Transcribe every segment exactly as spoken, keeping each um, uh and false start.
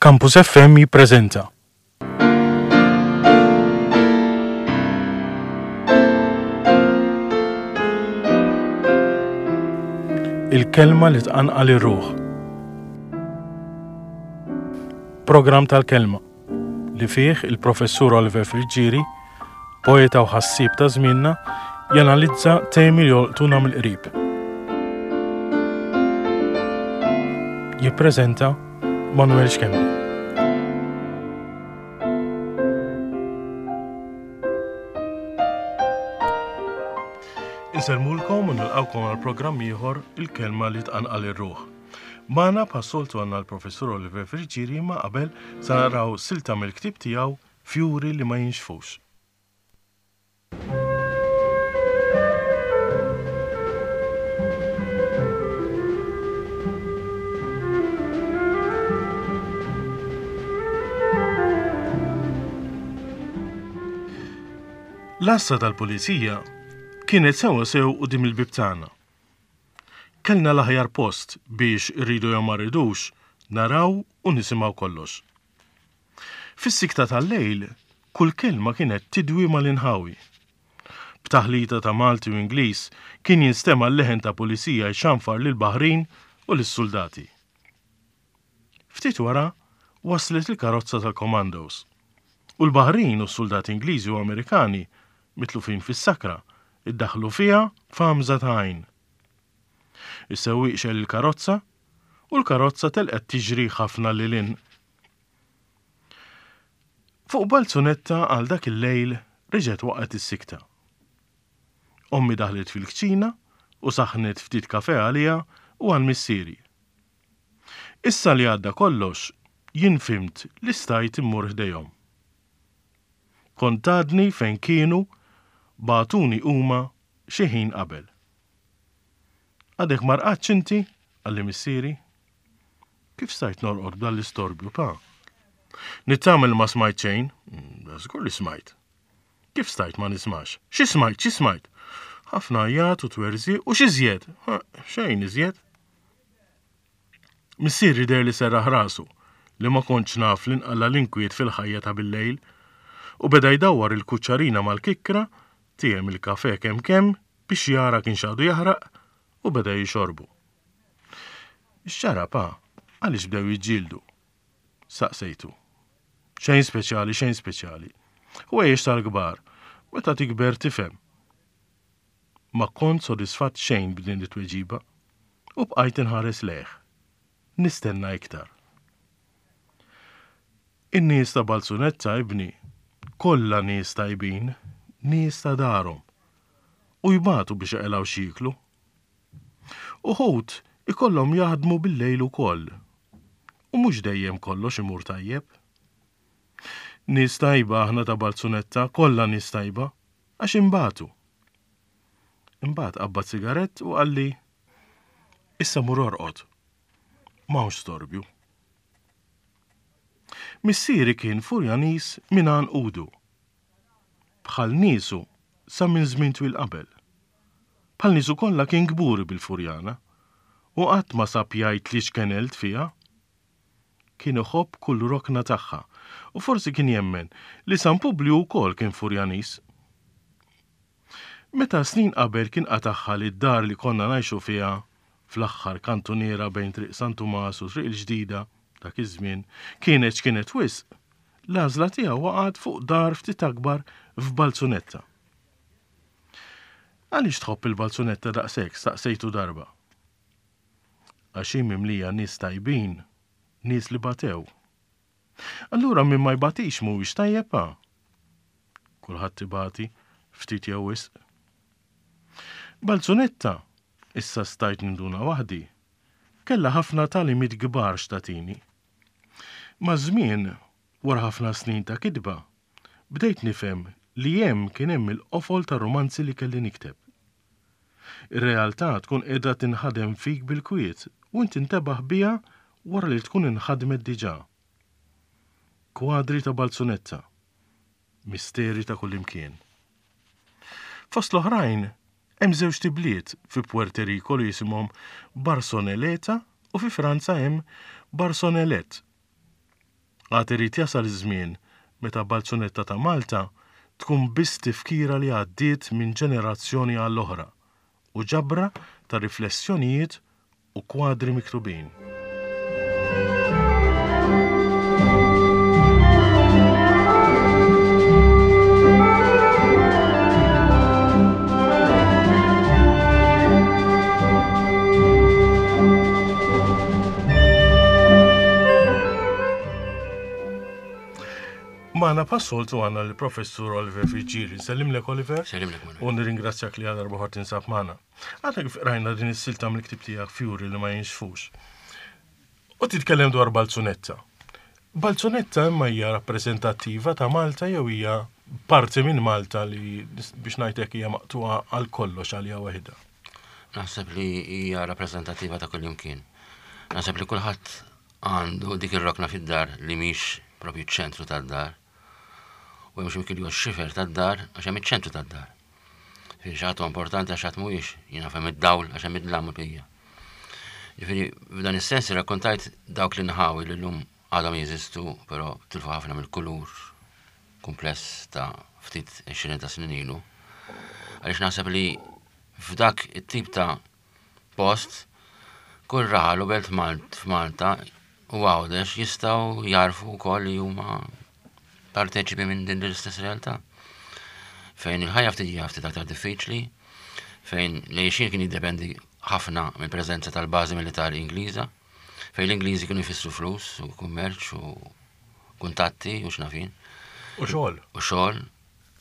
Campus F M jippreżenta Il-kelma li tqanqal ir-ruħ. Programm tal-kelma li fih il-professur Oliver Friggieri, poeta u ħassieb ta' żmienna, janalizza temi li jolqtuna mill-qrib. Jippreżenta Manuel Schembri. Insellmulkom u nilqawkom għal programm ieħor, Il-kelma li tqanqal ir-ruħ. Magħna bħas-soltu għandna l-professur Oliver Friggieri, ma qabel sa naraw silta mill-ktieb tiegħu Fjuri li ma jinxfux. L-għassa tal-pulizija kienet sewa sew quddiem il-bieb tagħna. Kellna l-aħjar post biex, irridu jew ma rridux, naraw u nisimgħu kollox. Fis-sikta tal-lejl, kull kelma kienet tidwi mal-inħawi. B'taħlita ta' Malti u Ingliż kien jinstema' l-leħen ta' pulizija jxanfar lil baħrin u lis-soldati. Ftit wara waslet il-karozza tal-commandos. U l-baħrin u s-soldati Ingliżi u Amerikani mitlufin fis-sakra iddaħlu fiha f'għamża ta' għajn. Is-sewwieq xegħel il-karozza u l-karozza telqet tiġri ħafna lil hinn. Fuq Balzunetta għal dak il-lejl reġgħet waqgħet is-sikta. Ommi daħlet fil-kċina u saħnet ftit kafe għalija u għal missieri. Issa li għadda kollox, jien fhimt li stajt immur ħdejhom. Kont għadni fejn kienu bagħtuni huma xi ħin qabel. "Għadek ma rqadtx inti?" qalli missieri. "Kif stajt norqod b'dan l-istorbju, pa?" "Nittama li ma smajt xejn." Mm, "Żgur li smajt." "Kif stajt ma nismax?" "Xi smajt, xi smajt?" "Ħafna għajat u twerżiq." "U x'iżjed?" "Xejn iżjed." Missieri deher li serraħ rasu li ma kontx naf li nqalla l-inkwiet fil-ħajja ta' bil-lejl u beda jdawwar il-kuċċarina mal-kikkra, tiegħem il-kafe kemm kemm biex jara kienx għadu jaħraq u beda jixorbu. "X'ġara, pa? Għaliex bdew jiġġieldu?" saqsejtu. "Xejn speċjali, xejn speċjali. U għejx tal-kbar, meta tikber tifhem." Ma kont sodisfatt xejn b'din it-tweġiba u bqajt inħares lejh. Nistenna iktar. "In-nies ta' Balzunetta, ibni, kollha nies tajbin, nies ta' darhom. U jbatu biex jaqilgħu x'jieklu. Uħud ikollhom jaħdmu bil-lejl ukoll. U mhux dejjem kollox imur tajjeb. Nies tajba aħna ta' Balzunetta, kollha nies tajba, għax inbatu." Imbagħad qabbad sigarett u qalli, "Issa mur orqod. M'hawnx storbju." Missieri kien Furjaniż minn għanqudu. Bħal niesu sa minn żmien twil qabel. Bħal niesu kollha kien kburi bil-Furjana u qatt ma sab jgħid li xkenelt fiha. Kien iħobb kull rokna tagħha u forsi kien jemmen li San Publiju wkoll kien Furjaniż. Meta snin qabel kien qatagħha li d-dar li konna ngħixu fiha fl-aħħar kantuniera bejn Triq San Tumas u Triq il-Ġdida dak iż-żmien kienet x'kienet wisq, l-għażla tiegħu waqgħet fuq dar ftit akbar f'Balzunetta. "Għaliex tħobb il-Balzunetta daqshekk?" staqsejtu darba. "Għax hi mimlija nies tajbin, nies li batew." "Allura min ma jbatix mhuwiex tajjeb, pa?" "Kulħadd ibati, ftit jew wisq." Balzunetta, issa stajt ninduna waħdi, kellha ħafna tagħlimiet kbar x'tagħtini. Maż-żmien, wara ħafna snin ta' kitba, bdejt nifhem li hemm kien hemm il-qofol ta' romanzi li kelli nikteb. Ir-realtà tkun qiegħda tinħadem fik bil-kwiet u inti tintebaħ biha wara li tkun inħadmet diġà. Kwadri ta' Balzunetta, misteri ta' kullimkien. Fost l-oħrajn, hemm żewġt ibliet fi Puerto Rico li jisimhom Barsoneleta u fi Franza hemm Barsonellet. Għad irid jasal iż-żmien meta Balzunetta ta' Malta tkun biss tifkira li għaddiet minn ġenerazzjoni għall-oħra u ġabra ta' riflessjonijiet u kwadri miktubin. Magħna bħas-soltu għandna l-Professur Oliver Friggieri. Nsellimlek Oliver. Sellimlek Manuel. U nirringrazzjak li għal darba tinsab magħna. Għadna kif rajna din is-silta mill-ktieb tiegħek Fjuri li ma jinxfux. U titkellem dwar Balzunetta. Balzunetta imma hija rappreżentattiva ta' Malta jew hija parti minn Malta li biex ngħidlek hija maqtuha għal kollox għalija waħedha? Naħseb li hija rappreżentattiva ta' kull imkien. Naħseb li kulħadd għandu dik ir-rokna fid-dar li mhix propju ċ-ċentru tad-dar. U hemm xi mkien li huwa x-xifer tad-dar għax hemm iċ-ċentru tad-dar. Ġifieri xi ħadd huwa importanti għax ħadd mhuwiex, jiena naf hemm id-dawl għax hemm id-dlam u l-bqija. Ġifieri f'dan is-sens irrakkontajt dawk l-inħawi li llum għadhom jeżistu, però tilfu ħafna mill-kulur kumpless ta' ftit għexrin ta' snin ilu. Għaliex naħseb li f'dak it-tip ta' post kull raħal u belt f'Malta u Għawdex jistgħu jarfu wkoll li huma parteċipi minn din l-istess realtà. Fejn il-ħajja ftit hija ftit aktar diffiċli, fejn l-għixien kien jiddependi ħafna mill-preżenza tal-bażi militari Ingliża, fejn l-Ingliżi kienu jfissru flus u kummerċ u kuntatti u x'nafin. U xogħol. U xogħol.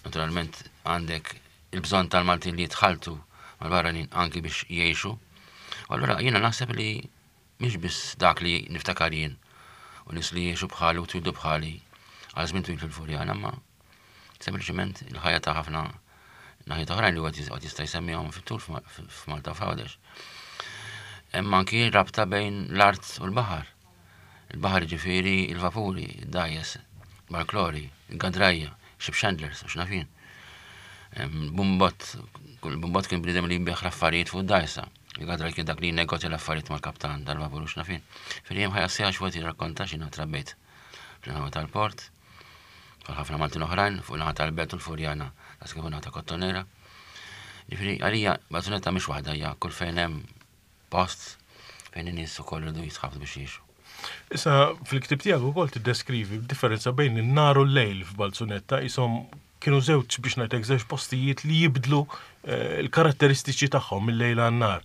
Naturalment għandek il-bżonn tal-Maltin li jitħaltu mal-barranin anki biex jgħixu. U allura jiena naħseb li mhix biss dak li niftakar jien u nies li jgħixu bħali u twildu bħali għal żmien twil fil-Furjana, ma sempliċement il-ħajja ta' ħafna naħiet oħrajn li wieħed jista' jsemmihom fit-tul f'Malta u f'Għawdex. Hemm anki rabta bejn l-art u l-baħar. Il-baħar ġifieri il-vapuri, id-dgħajjes, barklori, il-gadrajja, ship chandlers, u x'nafin. Bumbot, kull bumbot kien bniedem li jbigħ l-affarijiet fuq id-dgħajsa. Il-gadraj kien dak li jinnegozja l-affarijiet mal-kaptan tal-vapur u x'nafin. Ġifieri hemm ħajja sħiħa x'wieħed jirrakkonta x'jiena trabbejt fl-inħawi tal-port, bħal ħafna Maltin oħrajn, fuq naħa tal-Belt u l-Furjana, tas kif naħa ta' Kottonera. Ġifieri għalija Balzunetta mhix waħda, hija kull fejn hemm post fejn in-nies ukoll iridu jitħabtu biex jgħixu. Issa fil-ktieb tiegħek ukoll tiddeskrivi differenza bejn in-nar u l-lejl f'Balzunetta, ishom kienu żewġ biex ngħidlek żewġ postijiet li jibdlu l-karatteristiċi tagħhom mill-lejl għan-nar.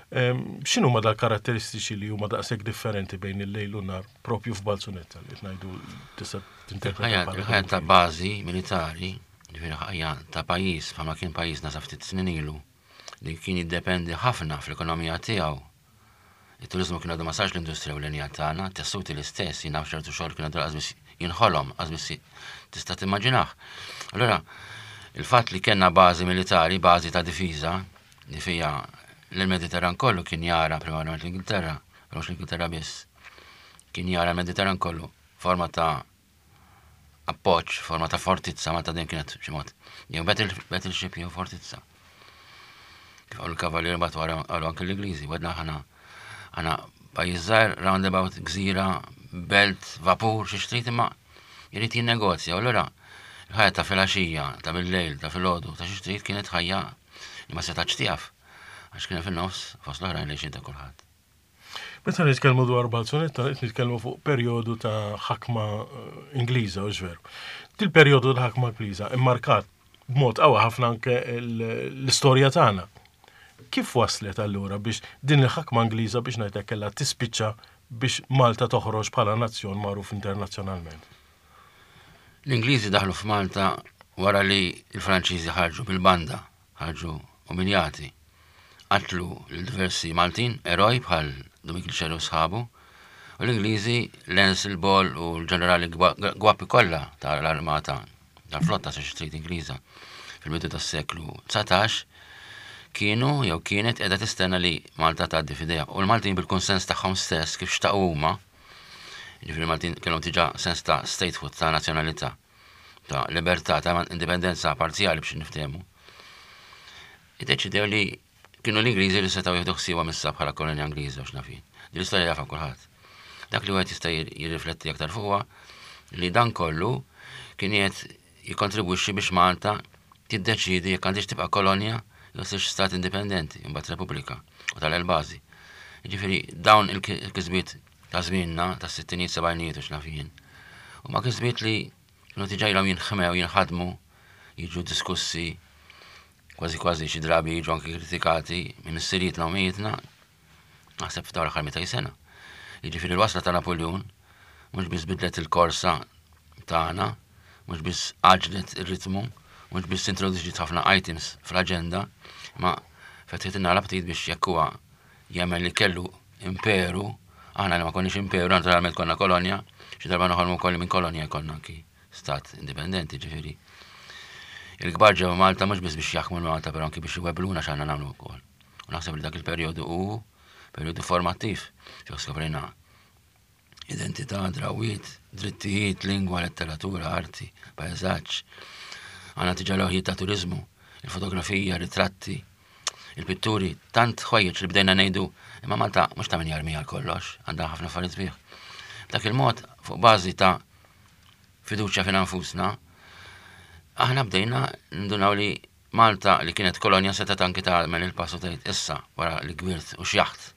X'inhu ma dal-karatteristiċi li huma daqshekk differenti bejn il-lejl u n-nar propju f'Balzunetta li qed ngħidu tista' tinterpreta bħala Il-ħajja ta' bażi militari, ġifieri ħajja ta' pajjiż bħalma kien pajjiżna sa ftit snin ilu, li kien jiddependi ħafna fl-ekonomija tiegħu. Il-turizmu kien għadu ma sarx l-industrija ewlenija tagħna, tessuti l-istess, jien naf ċertu xogħol kien għadu lanqas biss jinħolom, lanqas biss tista' timmaġinah. Allura, il-fatt li kellna bażi militari, bażi ta' difiża, li fija l-Mediterran kollu kien jara primarjament l-Ingilterra, però mhux l-Ingilterra biss, kien jara l-Mediterran kollu forma ta' appoġġ, forma ta' fortizza, Malta dejjem kienet b'xi mod jew battleship jew fortizza. Kif qalu l-Kavallieri mbagħad wara qalu anke l-Ingliżi, wedna aħna aħna pajjiż żgħir, roundabout, gżira, belt, vapur, xi xtrid imma jrid jinnegozja. U allura il-ħajja ta' filgħaxija, ta' bil-lejl, ta' filgħodu, ta' xi xtrid kienet ħajja li ma setgħetx tieqaf għax kien fin-nofs fost l-oħrajn li ta' kulħadd. Meta nitkellmu dwar Balzunetta, qed nitkellmu fuq perjodu ta' ħakma Ingliża, u veru. Dil-perjodu ta' ħakma Ingliża immarkat b'mod qawwi ħafna anke l-istorja tagħna. Kif waslet allura biex din il-ħakma Ingliża biex ngħidlek kellha tispiċċa biex Malta toħroġ bħala nazzjon magħruf internazzjonalment? L-Ingliżi daħlu f'Malta wara li l-Franċiżi ħarġu bil-banda, ħarġu umiljati. Qatlu l-diversi Maltin, eroj bħal Dumik Xerri u sħabu, u l-Ingliżi Lancel Ball u l-ġenerali Gwappi kollha tal-armata tal-flotta sa xi trid Ingliża fil-bidu tas-seklu dsatax kienu jew kienet qiegħda tistenna li Malta tgħaddi f'idejha. U l-Maltin bil-kunsens tagħhom stess kif xtaqu huma, jiġifieri Maltin kellhom diġà sens ta' statehood, ta' nazzjonalità, ta' libertà, ta' indipendenza parzjali biex niftehmu. Iddeċidew li kienu l-Ingliżi li setgħu jieħdu ħsiebha missa bħala kolonja Ingliża u x'nafin. Din l-istorja jafha kulħadd. Dak li wieħed jista' jirrifletti aktar fuqha Li dan kollu kien qed jikkontribwixxi biex Malta tiddeċidi jekk għandix tibqa' kolonja jew sirx stat indipendenti, imbagħad Repubblika u tal-bażi. Jiġifieri dawn il-kisbiet ta' żmienna tas-sittinijiet, sebgħinijiet u x'naf jien. U ma kisbiet li kienu diġà ilhom jinħmew, jinħadmu, jiġu diskussi, kważi kważi xi drabi jiġu anki kritikati minn missirietna u ommijietna, naħseb f'dawn l-aħħar mitejn sena. Jiġifieri l-wasla ta' Napoleon mhux biss bidlet il-korsa tagħna, mhux biss għaġlet ir-ritmu, mhux biss introduċiet ħafna items fl-aġenda, ma fetħitilna l-aptit biex jekk huwa jemmen li kellu imperu, aħna li ma konniex imperu, naturalment konna kolonja, xi darba noħolmu wkoll minn kolonja jkollna anki stat indipendenti, ġifieri. Il-kbar ġew Malta mhux biss biex jaħkmu Malta, però anki biex iwebbluna x'għandna nagħmlu wkoll. U naħseb li dak il-perjodu hu perjodu formattiv, fejn skoprejna identità, drawiet, drittijiet, lingwa, letteratura, arti, pajsaġġ. Għandna diġà lewħiet ta' turizmu, il-fotografija, ritratti, il-pitturi, tant ħwejjeġ li bdejna ngħidu, imma Malta mhux ta' min jarmi għal kollox, għandha ħafna affarijiet sbieħ. B'dak il-mod, fuq bażi ta' fiduċja fina nfusna, aħna bdejna ndunaw li Malta li kienet kolonja seta' anki tagħmel il-passu tgħid issa wara li kbirt u xjaħt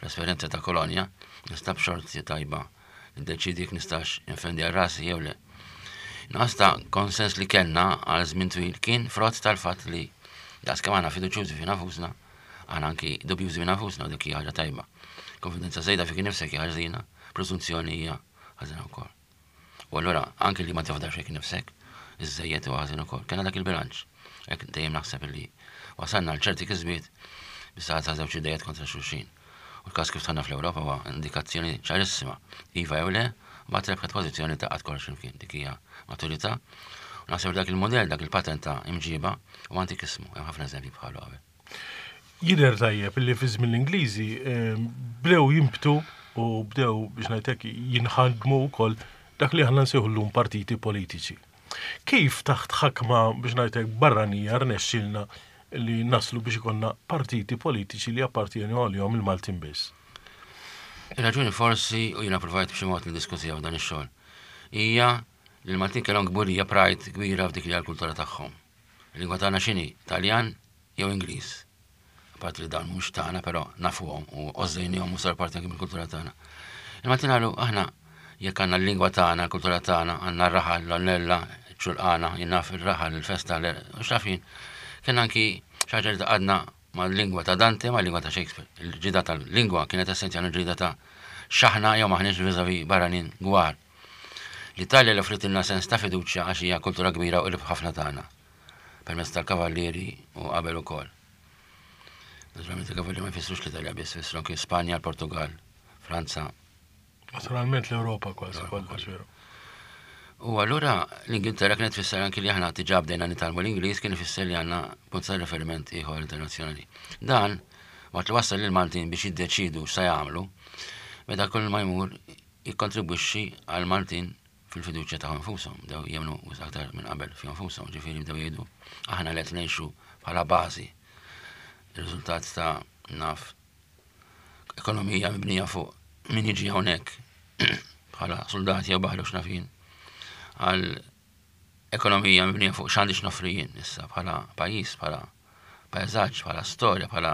l-esperjenza ta' kolonja, nista' b'xorti tajba niddeċidi jekk nistax infendi għal rasi jew le. Nuqqas ta' konsens li kellna għal żmien twil kien frott tal-fatt li daqs kemm aħna fiduċjużi fina nfusna, aħna anki dubjużi fina nfusna u dik hija ħaġa tajba. Konfidenza żejda fik nifsek hija ħażina, preżunzjoni hija ħażina wkoll. U allura anki li ma tafdax fik nifsek, iżżejjed u ħażin ukoll. Kellna dak il-bilanċ. Hekk dejjem naħseb li wasalna għal ċerti kisbiet bis-saħħa ta' żewġ idejiet kontra xulxin. U l-każ kif dħalna fl-Ewropa huwa indikazzjoni ċarissima. Iva jew le, ma trebħet pożizzjoni ta' qatt kollox imkien. Dik hija maturità. U naħseb dak il-modell, dak il-patent ta' imġiba u antikismu, hemm ħafna eżempji bħalu qabel. Jidher tajjeb li fi żmien l-Ingliżi eh, bdew jimbtu u bdew biex ngħidlek jinħadmu wkoll dak li aħna nsejħu llum partiti politiċi. Kif taħt ħakma biex ngħidlek barranija rnexxilna li naslu biex ikonna partiti politiċi li appartienu għalihom il-Maltin biss? Ir-raġuni forsi, u jiena provajt b'xi mod niddiskutiha f'dan ix-xogħol, hija li l-Maltin kellhom kburija, pride kbira f'dik li hija l-kultura tagħhom. Il-lingwa tagħna x'inhi? Taljan jew Ingliż? Apart li dawn mhux tagħna, però nafuhom u għożżejnihom u sar parti anke mill-kultura tagħna. Il-Maltin qalu aħna jekk għandna l-lingwa tagħna, l-kultura tagħna, għandna r-raħal, l-onnella, ċ-ċulqana, jien naf ir-raħal, il-festa, u x'naf jien. Kien anki xi ħaġa li tgħaqqadna mal-lingwa ta' Dante, mal-lingwa ta' Shakespeare. Il-ġida tal-lingwa kienet essenzjali, ġida ta' x'aħna jew maħniex vis-à-vis barranin gwar. L-Italja li offritilna sens ta' fiduċja għax hija kultura kbira u qrib ħafna tagħna. Permezz tal-kavallieri u qabel ukoll. Naturalment il-kavallieri ma jfissrux l-Italja biss, jfissru anki Spanja, l-Portugal, Franza. Naturalment l-Ewropa kważi kollha, veru. U allura l-Ingilterra kienet tfisser anki li aħna diġà bdejna nitgħallmu l-Ingliż, kien ifisser li għandna punt ta' riferiment ieħor internazzjonali. Dan waqt li wassal lil Maltin biex jiddeċidu x'sa jagħmlu, meta kull ma jmur jikkontribwixxi għal Maltin fil-fiduċja ta' nfushom, bdew jemmnu aktar minn qabel fi nfushom, ġifieri bdew jgħidu aħna li qed ngħixu bħala bażi. Ir-riżultat ta' naf ekonomija mibnija fuq min jiġi hawnhekk bħala soldati jew baħlu x'naf jien, għal ekonomija mibnija fuq x'għandi x'noffri jien issa bħala pajjiż, bħala pajsaġġ, bħala storja, bħala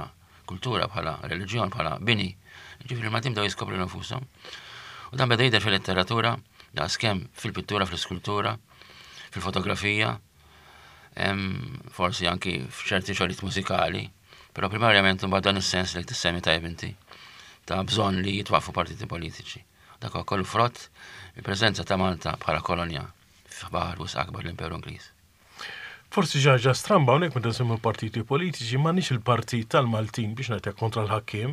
kultura, bħala reliġjon, bħala bini. Ġifieri l-Maltin bdew jiskopru nfushom. U dan beda jidher fil-letteratura, daqskemm fil-pittura, fl-iskultura, fil-fotografija, forsi anki f'ċerti xogħlijiet mużikali, però primarjament imbagħad dan is-sens li tissemmi tajjeb inti ta' bżonn li jitwaqfu partiti politiċi. Dak huwa kollu frott il-preżenza ta' Malta bħala kolonja f'baħar wisq akbar l-Imperu Ingliż. Forsi ħaġa stramba hawnhekk meta nsemmu partiti politiċi m'għandniex il-partit tal-Maltin biex ngħidlek kontra l-ħakkiem,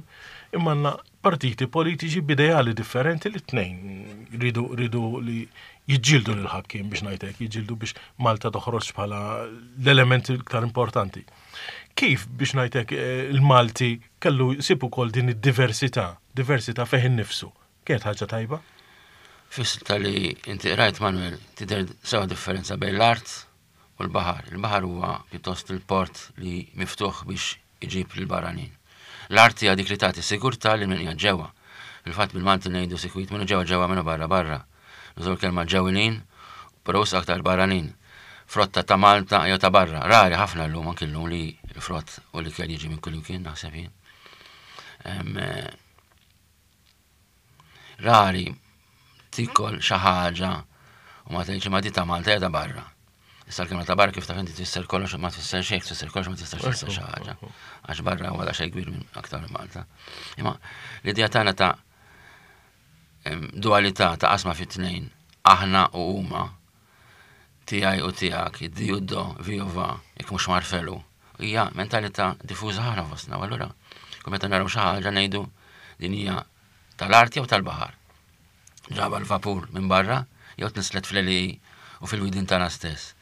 imma għandna partiti politiċi b'ideali differenti li tnejn ridu ridu li jiġġieldu lill-ħakkiem biex ngħidlek, jiġġieldu biex Malta toħroġ bħala l-element iktar importanti. Kif biex ngħidlek eh, il-Malti kellu jsib ukoll din id-diversità, diversità fih innifsu? Kienet ħaġa tajba? Fis-silta li inti rajt, Manuel, tidher sewa differenza bejn l-art u l-baħar. Il-baħar huwa pjuttost il-port li miftuħ biex iġib lill-barranin. L-art hija dik li tagħti sigurtà lil min qiegħed ġewwa. Fil-fatt bil-Malti ngħidu sikwit minnu ġewwa ġewwa, minnu barra barra. Nużaw il-kelma ġewwinin, però wisq aktar barranin. Frotta ta' Malta jew ta' barra. Rari ħafna llum, anki llum, li l-frott u l-ikel jiġi minn kullimkien, naħseb jien. Eh, rari tikol xi ħaġa u ma tgħidx ma di ta' Malta jew ta' barra. Issa l-kelma ta' barra, kif taf inti, tfisser kollox ma tfisser xejn, tfisser kollox ma tistax tfisser xi ħaġa. Għax barra huwa xejn kbir minn aktar minn Malta. Imma l-idea tagħna ta' dualità, ta' qasma fit-tnejn, aħna u huma, tiegħi u tiegħek, di u do, vi u va, jekk mhux marfelu, hija mentalità diffuża ħafna fostna. U allura, kull meta naraw xi ħaġa ngħidu din hija tal-arti jew tal-baħar. Ġaba l-vapur minn barra jew tnislet fl-għelieqi u fil-widien tagħna stess.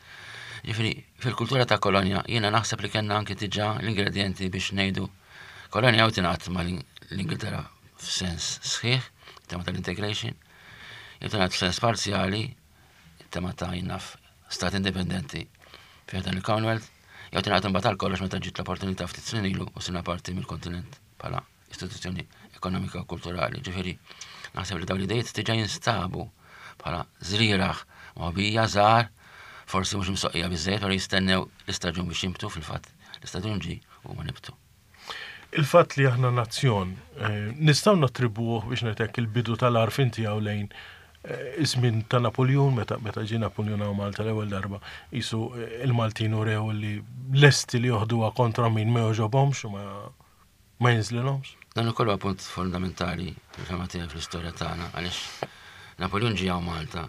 Ġifieri, fil-kultura ta' kolonja, jiena naħseb li kellna anki diġà l-ingredienti biex ngħidu kolonja jew tingħad ma' l-Ingilterra f'sens sħiħ, tema tal-integration, jew tingħad f'sens parzjali, tema ta' jinnaf stat indipendenti fi dan il-Commonwealth, jew tingħad imbagħad għal kollox meta ġiet l-opportunità ftit snin ilu u sirna parti mill-kontinent bħala istituzzjoni ekonomika u kulturali. Ġifieri, naħseb li dawn l-idejat diġà jinstabu bħala żrieragħ moħbija żgħar, forsi mhux imsoqqija biżejjed, però jistennew l-istaġun biex jinbtu. Fil-fatt, l-istaġun ġie u ma nibtu. Il-fatt li aħna nazzjon, eh, nistgħu nattribuh, biex ngħidlek, il-bidu tal-għarfien tiegħu lejn eh, iż-żmien ta' Napoleon, meta meta ġie Napoleon hawn Malta l-ewwel darba, qisu eh, il-Maltin urew li lesti li joħduha kontra min ma jogħġobhomx u ma ma jinżlilhomx. Dan ukoll huwa punt fondamentali fil-fehma tiegħi fl-istorja tagħna, għaliex Napoleon ġie hawn Malta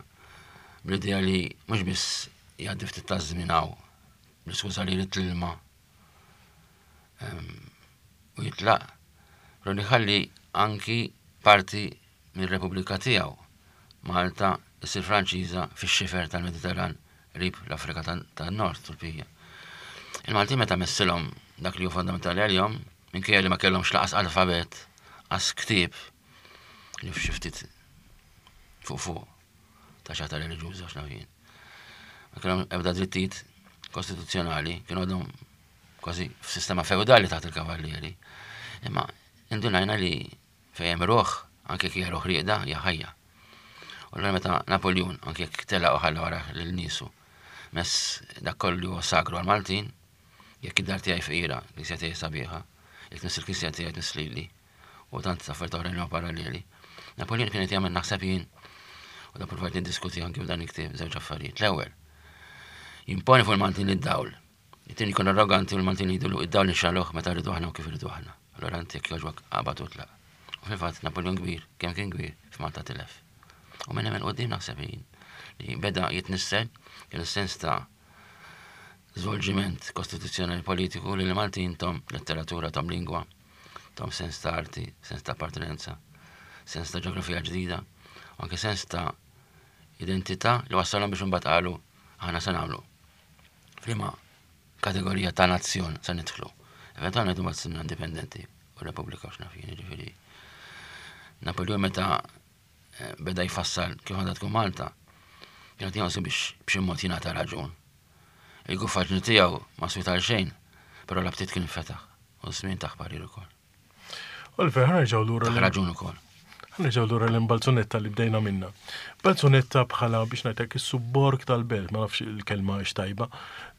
bl-idea li mhux biss jgħaddi ftit ta' żmien hawn, bl-iskuża li jrid l-ilma u jitlaq, però li ħalli anki parti mir-Repubblika tiegħu. Malta issir Franċiża fix-xifer tal-Mediterran qrib l-Afrika tan-Nord Turkija. Il-Malti meta messilhom dak li hu fondamentali għalihom, minkejja li ma kellhomx lanqas alfabet, qas ktieb, li f'xi ftit fuq fuq ta' xata reliġjuża x'naf jien. Ma kellhom ebda drittijiet kostituzzjonali, kienu għadhom kważi f'sistema feudali taħt il-kavallieri. Imma indunajna li fejn hemm ruħ, anke jekk hija ruħ rieqda, hija ħajja. U allura meta Napoleon, anke jekk telaq u ħalla wara lil niesu, mess dak kollu huwa sagru għal-Maltin, jekk id-dar tiegħi fqira, knisja tiegħi sabiħa, jekk tmiss il-knisja tiegħi tmiss lili, u tant affarijiet oħrajn li huma paralleli. Napoleon kien qed jagħmel, naħseb jien, u da provajt niddiskuti anke f'dan il-ktieb, żewġ affarijiet. L-ewwel, jimponi fuq il-Maltin id-dawl. It-tieni, jkun arroganti u l-Maltin jgħidulu id-dawl nixegħluh meta rridu aħna u kif rridu aħna. Allura inti jekk jogħġbok aqbad u tlaq. U fil-fatt Napoleon kbir, kemm kien kbir, f'Malta tilef. U minn hemm 'il quddiem naħseb jien li beda jitnissel kien is-sens ta' żvolġiment kostituzzjonali politiku li l-Maltin tom letteratura, tom lingwa, tom sens ta' arti, sens ta' appartenenza, sens ta' ġeografija ġdida, u anke sens ta' identità li wassalhom biex imbagħad qalu aħna se nagħmlu. F'liema kategorija ta' nazzjon se nidħlu? Eventualment imbagħad sirna indipendenti u Repubblika u x'naf jien, ġifieri. Napoleon meta eh, beda jfassal kif għandha tkun Malta, kien qed jonsi biex b'xi mod jingħata raġun. Il-guffaġni tiegħu ma swiet għal xejn, però l-aptit kien fetaħ u żmien taħ parir ukoll. Oliver, ħa nerġgħu lura Taħ raġun ukoll. Ħa nerġgħu lura l-Balzunetta li bdejna minna. Balzunetta bħala, biex ngħidlek, is-subborg tal-belt, ma nafx il-kelma hix tajba.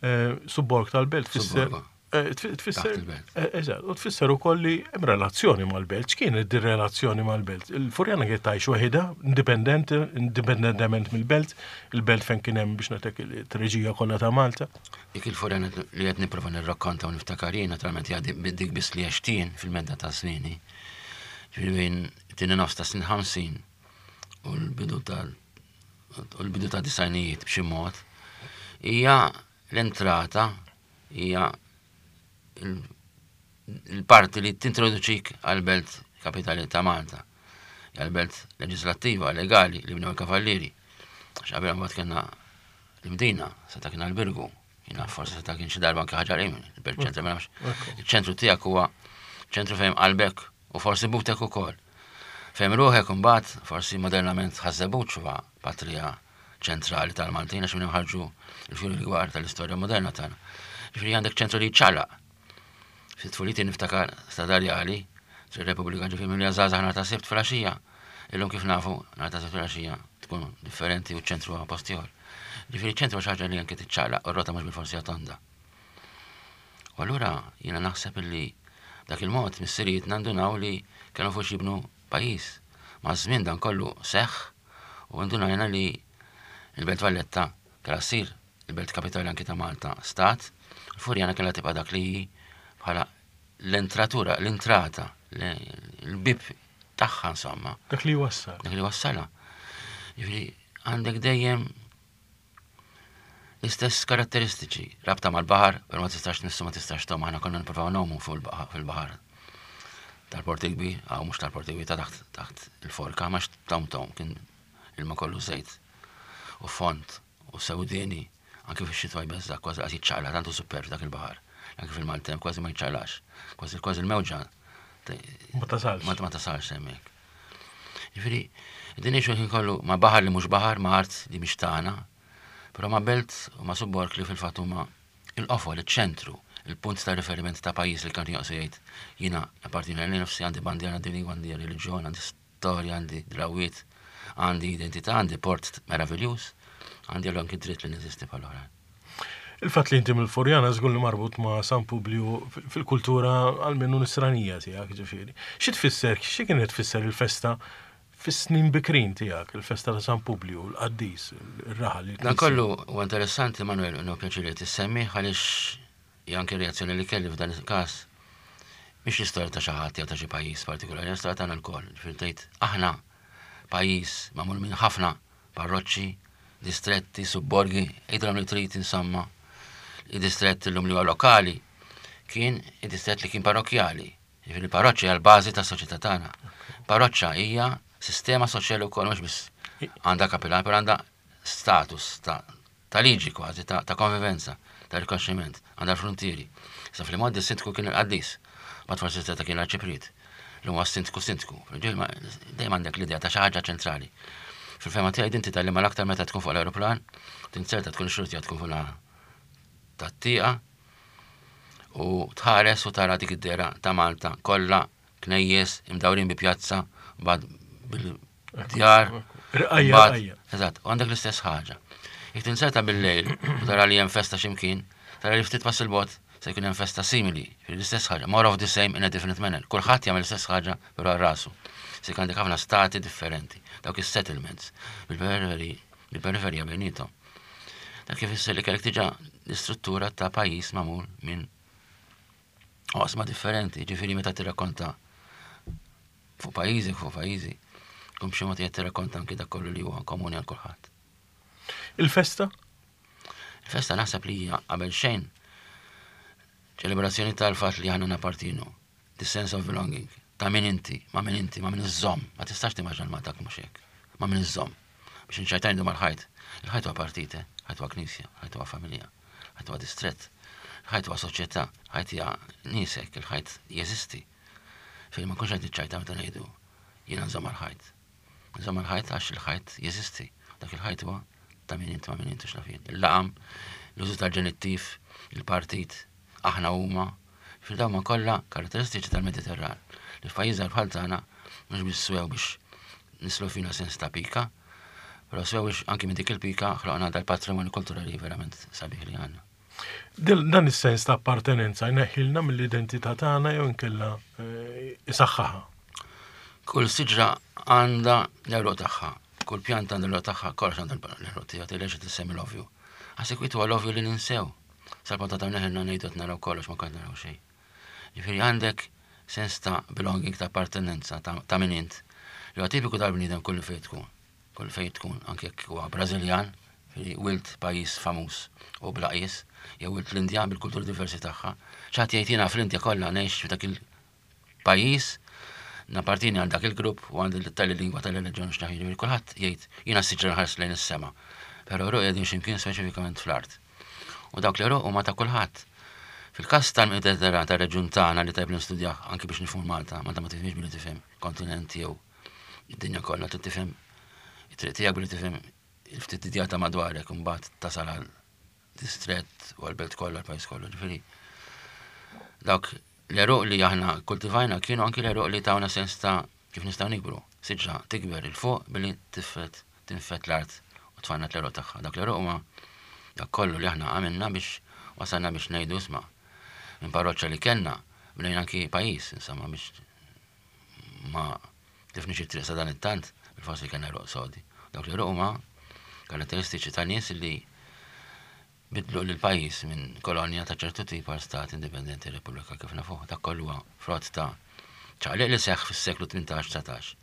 Eh, Subborg tal-belt tfisser Subborgo. eh, tfi- tfisser Taħt il-belt. eh, Eżatt, u tfisser ukoll li hemm relazzjoni mal-belt. X'kienet di relazzjoni mal-belt? Il-Furjana kienet tgħix waħedha, indipendenti, indipendentement mill-belt, il-belt fejn kien hemm, biex ngħidlek, it-treġija kollha ta' Malta. Dik il-Furjana li qed nipprova nirrakkonta u niftakar jien, naturalment hija dik biss li għext jien fil-medda ta' snini. Ġifieri bejn tieni nofs ta' snin ħamsin u l-bidu ta' u l-bidu ta' disgħinijiet b'xi mod, hija l-entrata, hija il- il-parti li tintroduċik għal-belt kapitali ta' Malta. Hija l-belt leġislattiva, legali li bnew il-kavallieri. Għax qabel mbagħad kellna l-Imdina, seta' kien għal-Birgu, jiena forsi seta' kien xi darba anke Ħaġar Qim, il-belt ċentru ma nafx. Il-ċentru tiegħek huwa ċentru fejn qalbek u forsi butek ukoll. Fejn ruħek imbagħad forsi modernament Ħaż-Żebbuġ huwa patrija ċentrali tal-Maltin għax minn hemm ħarġu l-fjuri l-kbar tal-istorja moderna tagħna. Ġifieri għandek ċentru li ċalaq. Fi tfuliti niftakar Strada Rjali, Triq Repubblika, ġifieri minn żgħażagħ nhar ta' Sibt filgħaxija. Illum kif nafu, nhar ta' Sibt filgħaxija tkun differenti u ċ-ċentru huwa post ieħor. Ġifieri ċ-ċentru xi ħaġa li anke tiċċaqlaq u r-rota mhux bil-forsi tonda. U allura jiena naħseb illi dak il-mod missirijiet nandunaw li kienu fuq jibnu pajjiż. Maż-żmien dan kollu seħħ u ndunajna li il-Belt Valletta kellha ssir il-belt kapitali anki ta' Malta stat, il-Furjana kellha tibqa' dak li hi bħala l-entratura, l-intrata, l-bib tagħha insomma. Dak li wassal. Dak li wassala. Ġifieri għandek dejjem l-istess karatteristiċi, rabta mal-baħar, per ma tistax tmissu ma tistax tgħum, aħna konna nippruvaw ngħumu fuq fil-baħar. Tal-Port il-Kbir, għaw mhux tal-Port il-Kbir, ta' taħt taħt il-forka, ma tom tom, kien ilma kollu żejt u fond u sewdieni, anke fix-xitwa jbeżżak kważi qas jiċċaqla, tantu superb dak il-baħar. Anke fil-maltemp kważi ma jiċċaqlax, kważi kważi il-mewġa Ma tasalx. Ma ma tasalx hemmhekk. Ġifieri, din ngħixu ħin kollu ma' baħar li mhux baħar, ma' art li mhix tagħna, però ma' belt u ma' subborg li fil-fatt huma il-qofol, iċ-ċentru, il-punt ta' riferiment ta' pajjiż li kan joqsu jgħid jiena appartieni għal nifsi għandi bandiera, għandi lingwa, għandi reliġjon, għandi storja, għandi drawiet, għandi identità, għandi port meraviljuż, għandi anki dritt li neżisti bħal oħrajn. Il-fatt li inti mill-Furjana żgur li marbut ma' San Publiu fil-kultura għalmenu nisranija tiegħek ġifieri. Xi tfisser, xi kienet tfisser il-festa fis-snin bikrin tiegħek, il-festa ta' San Publiu, l-qaddis, ir-raħal. Dan kollu huwa interessanti Manuel, u pjaċir li tissemmi għaliex hija anke reazzjoni li kelli f'dan il-każ. Mhix l-istorja ta' xi ħadd jew ta' xi pajjiż partikolari, l-istorja tagħna lkoll. Ġifieri tgħid aħna pajjiż magħmul minn ħafna parroċċi, distretti, subborgi, għidilhom li trid insomma. Id-distrett illum li huwa lokali kien id-distrett li kien parrokkjali. Ġifieri parroċċa hija l-bażi tas-soċjetà tagħna. Parroċċa hija sistema soċjali wkoll mhux biss għandha kapilan, però għandha status ta' ta' liġi kważi, ta', ta' konvivenza, ta' rikonoxximent, għandha l-frontieri. Sa fil-modi s-sindku kien il-qaddis, ma forsi ta' kien l-arċipriet. L-huma s-sindku sindku. Dejjem għandek l-idea ta' xi ħaġa ċentrali. Fil-fehma tiegħi din titgħallimha l-aktar meta tkun fuq l-aeroplan, tinzerta tkun xurtija tkun fuq tat-tieqa u tħares u tara dik id-dera ta' Malta kollha knejjes imdawrin bi pjazza bad bil-djar. Rqajja, Mbagħad- rqajja. Eżatt, u għandek l-istess ħaġa. Jekk tinzerta bil-lejl u tara li hemm festa x'imkien, tara li ftit pass il-bogħod se jkun hemm festa simili, l-istess ħaġa, more of the same in a different manner. Kulħadd jagħmel l-istess ħaġa però għal rasu. Se jkun għandek ħafna stati differenti, dawk is-settlements, bil-periferi, bil-periferija bejnietom. Dak kif ifisser li kellek diġà l-istruttura ta' pajjiż magħmul minn oqsma differenti, ġifieri meta tirrakkonta fuq pajjiżi, fuq pajjiżi, tkun b'xi mod qed tirrakkonta anki dak kollu li huwa komuni għal kulħadd. Il-festa? Il-festa naħseb li hija qabel xejn ċelebrazzjoni tal-fatt li aħna nappartienu, the sense of belonging, ta' min inti, ma' min inti, ma' min iżżomm, ma tistax timmaġina Malta mhux hekk, ma' min iżżomm. Biex nċajtajn mal-ħajt. Il-ħajt huwa partit, eh? ħajt huwa knisja, ħajt huwa familja, ħajt huwa distrett, ħajt huwa soċjetà, ħajt hija niesek, il-ħajt jeżisti. Fejn ma nkunx qed niċċajta meta ngħidu jiena nżomm mal-ħajt. Nżomm mal-ħajt għax il-ħajt jeżisti. Dak il-ħajt huwa ta' min inti ma' min inti x'naf jien. Il-laqam, l-użu tal-ġenittiv, il-partit, aħna huma, fil-dawn ma kollha karatteristiċi tal-Mediterran. Li f'pajjiż bħal tagħna mhux biss swew biex nislu fina sens ta' pika, però swew biex anki minn dik il-pika ħloqna dal-patrimonju kulturali verament sabiħ li għandna. Dil- Dan is-sens ta' appartenenza jneħħilna mill-identità tagħna jew inkella eh, isaħħaħa. Kull siġra għandha l-għeruq tagħha, kull pjanta għandha l-għeruq tagħha, kollox għandha l-għeruq tiegħu, tgħidx tissemmi l-ovvju. Għas huwa l-ovvju li ninsew. Sal-ponta ta' neħilna ngħidu qed naraw kollox ma kont naraw xejn. Ġifieri għandek sens ta' belonging, ta' appartenenza, ta', ta' min int. Li huwa tipiku tal-bniedem kull fejn tkun. Kull fejn tkun, anke jekk huwa Brażiljan, ġifieri wild pajjiż famuż u bla qies, jew wild l-Indja bil-kulturi diversi tagħha. ċaħat jgħid jiena fl-Indja kollha ngħix f'dak il-pajjiż, nappartieni għal dak il-grupp u għandi tal-lingwa tal-reliġjon x'naf ġifieri kulħadd jgħid jiena siġra nħares lejn is-sema. Però għeruqi qegħdin x'imkien speċifikament fl-art. U dawk l-għeruq huma ta' kulħadd. Fil-każ tal-Mediterran tar-reġjun tagħna li tajb nistudjah anki biex nifhmu Malta, Malta ma tifhimx billi tifhem kontinent jew id-dinja kollha trid tifhem it-triq tiegħek billi tifhem il-ftit idea ta' madwarek u mbagħad tasal għal distrett u għal-belt kollha l-pajjiż kollu. Ġifieri dawk l-għeruq li aħna kultivajna kienu anki l-għeruq li tawna sens ta' kif nistgħu nikbru. Siġra tikber 'il fuq billi tifred tinfed l-art u tfajna l-għeruq tagħha. Dak l-għeruq huma dak kollu li aħna għamilna biex wasalna biex ngħidu isma' minn parroċċa li kellna bnejna anki pajjiż, insomma biex ma tlifniex it-triq sa dan it-tant, bil-forsi kellna għeruq sodi. Dawk l-għeruq huma karatteristiċi ta' nies li bidlu l-pajjiż minn kolonja ta' ċertu tip għal stat indipendenti Repubblika kif nafuh. Dak kollu huwa frott ta' ċaqliq li seħħ fis-seklu tmintax-dsatax.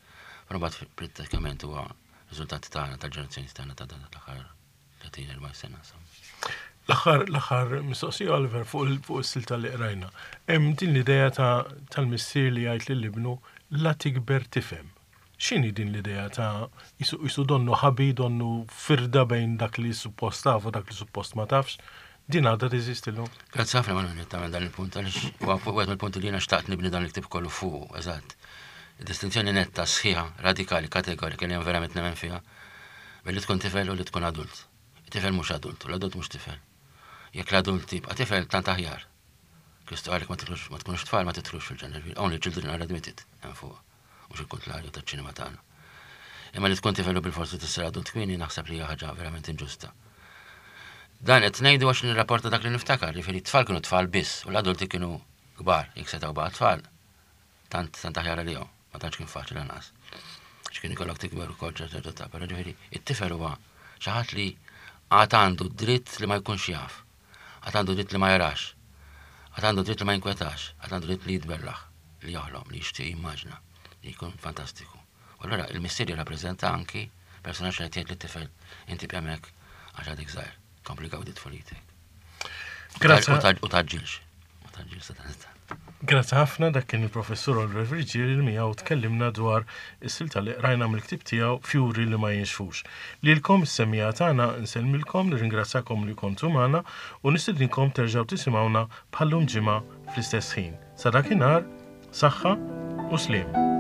Però mbagħad prattikament huwa riżultat tagħna tal-ġenerazzjoni tagħna ta' dan l-aħħar tletin erba' sena. L-aħħar l-aħħar mistoqsija Oliver fuq fuq is-silta li qrajna. Hemm din l-idea ta' tal-missier li jgħid lil ibnu la tikber tifhem. X'inhi din l-idea ta' jisu donnu ħabi, donnu firda bejn dak li suppost taf u dak li suppost ma tafx? Din għadha teżisti llum? Grazzi ħafna Manuel tagħmel dan il-punt għaliex huwa wieħed mill-punti li jiena xtaqt nibni dan il-ktieb kollu fuq, eżatt. Distinzjoni netta, sħiħa, radikali, kategorika li hemm verament nemmen fiha billi tkun tifel u li tkun adult. Tifel mhux adult, u l-adult mhux tifel. Jekk l-adult tibqa' tifel tant aħjar. Kristu għalik ma tkunux tfal ma titlux fil-ġenna. Only children are admitted hemm fuq. Mhux il-kontrarju taċ-ċinema tagħna. Imma li tkun tifel u bil-forsi tissir adult kmieni naħseb li hija ħaġa verament inġusta. Dan qed ngħidu għax nirrapporta dak li niftakar, jiġifieri t-tfal kienu tfal biss u l-adulti kienu kbar, jekk setgħu baqa' tfal. Tant tant aħjar għalihom, ma tantx kien faċli lanqas. X'kien ikollok tikber ukoll ċerta età, però ġifieri it-tifel huwa xi ħadd li għad għandu dritt li ma jkunx jaf, għad għandu dritt li ma jarax, għad għandu dritt li ma jinkwetax, għad għandu dritt li jitbellaħ, li joħlom, li jixtieq jimmaġna, li jkun fantastiku. U allura il-missier jirrappreżenta anki personaġġ li jgħid lit-tifel inti b'hemmhekk għax għadek żgħir, kompli gawdi tfulitek. Grazzi. U taġġilx. U taġġilx sa dan Grazzi ħafna dak kien il-professur Oliver Friggieri li miegħu tkellimna dwar is-silta li qrajna mill-ktieb tiegħu Fjuri li ma jinxfux. Lilkom is-semmiegħa tagħna nsellmilkom nirringrazzakom li kontu magħna u nistedinkom terġgħu tisimgħuna bħallum ġimgħa fl-istess ħin. Sa dakinhar, saħħa u sliem.